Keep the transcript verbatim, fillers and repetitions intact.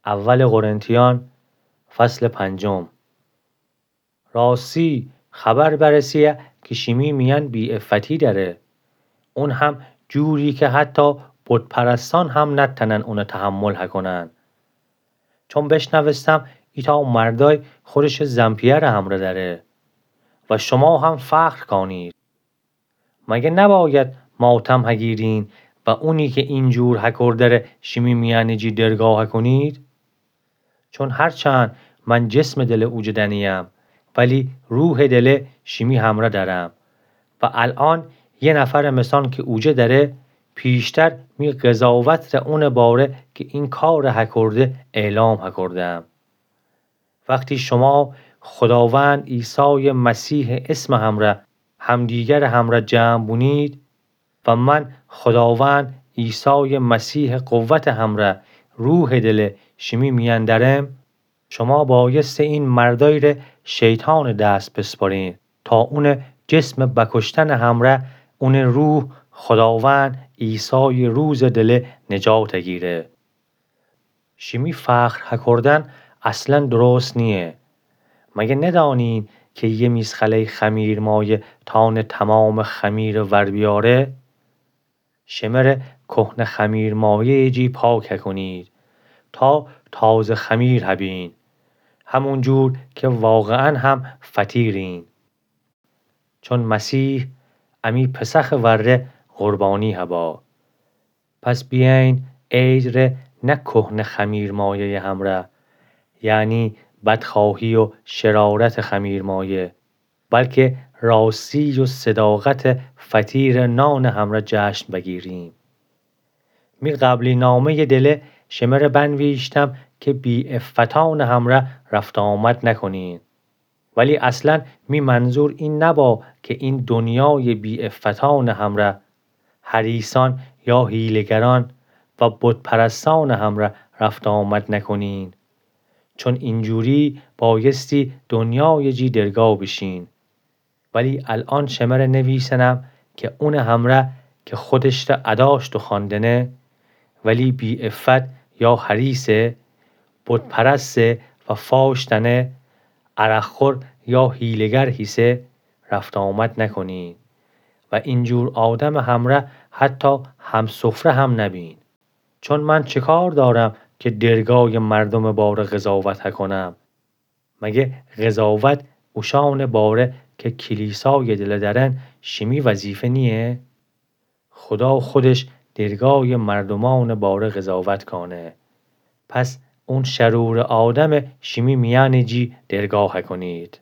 اول قرنتیان، فصل پنجم. راستی خبر برسه‌یه کی شیمی میأن بی‌عفتی دأره. اون هم جوری کی حتی بت‌پرستأن هم نتأنن اونه تحمل هکونن. چون بشنوستم ایتأ مردأی خودشٚ زن‌پیأرٚ همرأ دأره و شما هم فخر کانید. مگه نباید ماتم هگیرین و اونی کی اینجور هکرده‌ره شیمی میأنٚ جی درگاه هکونید؟ چون هرچند من جسمٚ دله اوجه دأنه‌یم، ولی روحٚ دله شیمی همرأ دأرم. و الأن یه نفرٚ مسان کی اوجه دأره، پیشتر می قضاوتٚ ره اونٚ باره کی این کارٚ هکرده اعلام هکردم. وختی شما خوداوند عیسایٚ مسیحٚ اسمٚ همرأ همدیگرٚ همرأ جمع بونید و من خوداوند عیسایٚ مسیحٚ قوتٚ همرأ روحٚ دله شیمی میأن دأرم، شما بایسته این مردأیی ره شیطانٚ دس بسپرین تا اونٚ جسمٚ بکشتنٚ همرأ اونٚ روح خوداوند عیسایٚ روزٚ دله نجات هگیره. شیمی فخر هکردن اصلا درست نییه. مگه ندأنین کی یه میزخله‌یٚ خمیرمایه تأنه تومامٚ خمیرٚ ور بیاره؟ شمره کهنه خمیرمایه‌یٚ جی پاک هکونید تا تازه خمیر هبین، همونجور کی واقعا هم فطیرین. چون مسیح امی پسخٚ وره قربانی هبا. پس بیأین عید ره نه کهنه خمیرمایه‌یٚ همرأ، یعنی بدخواهی و شرارتٚ خمیرمایه، بلکه راستی و صداقتٚ فطیرٚ نانٚ همرأ جشن بگیریم. می قبلی نامه‌یٚ دله شمره بنویشتم کی بی‌عفتأنٚ همرأ رفت‌وآمد نکنین. ولی اصلا می منظور این نبا کی این دنیایٚ بی‌عفتأنٚ همرأ، حریصأن یا حیله‌گرأن و بت‌پرستأنٚ همرأ رفت‌وآمد نکنین. چون اینجوری بایستی دنیایٚ جی درگاه بیشین. ولی الأن شمره نویسنم کی اونٚ همرأ کی خودش ره اداشت و خواندنه، ولی بی‌عفت یا حریصه، بت‌پرسته و فاش دأنه، عرق‌خور یا حیله‌گر هیسه، رفت‌وآمد نکنین و اینجور آدمٚ همرأ حتی همسفره هم نبین. چون من چه کار دارم کی درگایٚ مردومٚ باره قضاوت هکنم؟ مگه قضاوت اوشأنٚ باره کی کلیسایٚ دله دأرن شیمی وظیفه نییه؟ خودا خودش درگایٚ مردومأنٚ باره قضاوت کانه. پس اون شرورٚ آدمه شیمی میأنٚ جی درگاه هکنید.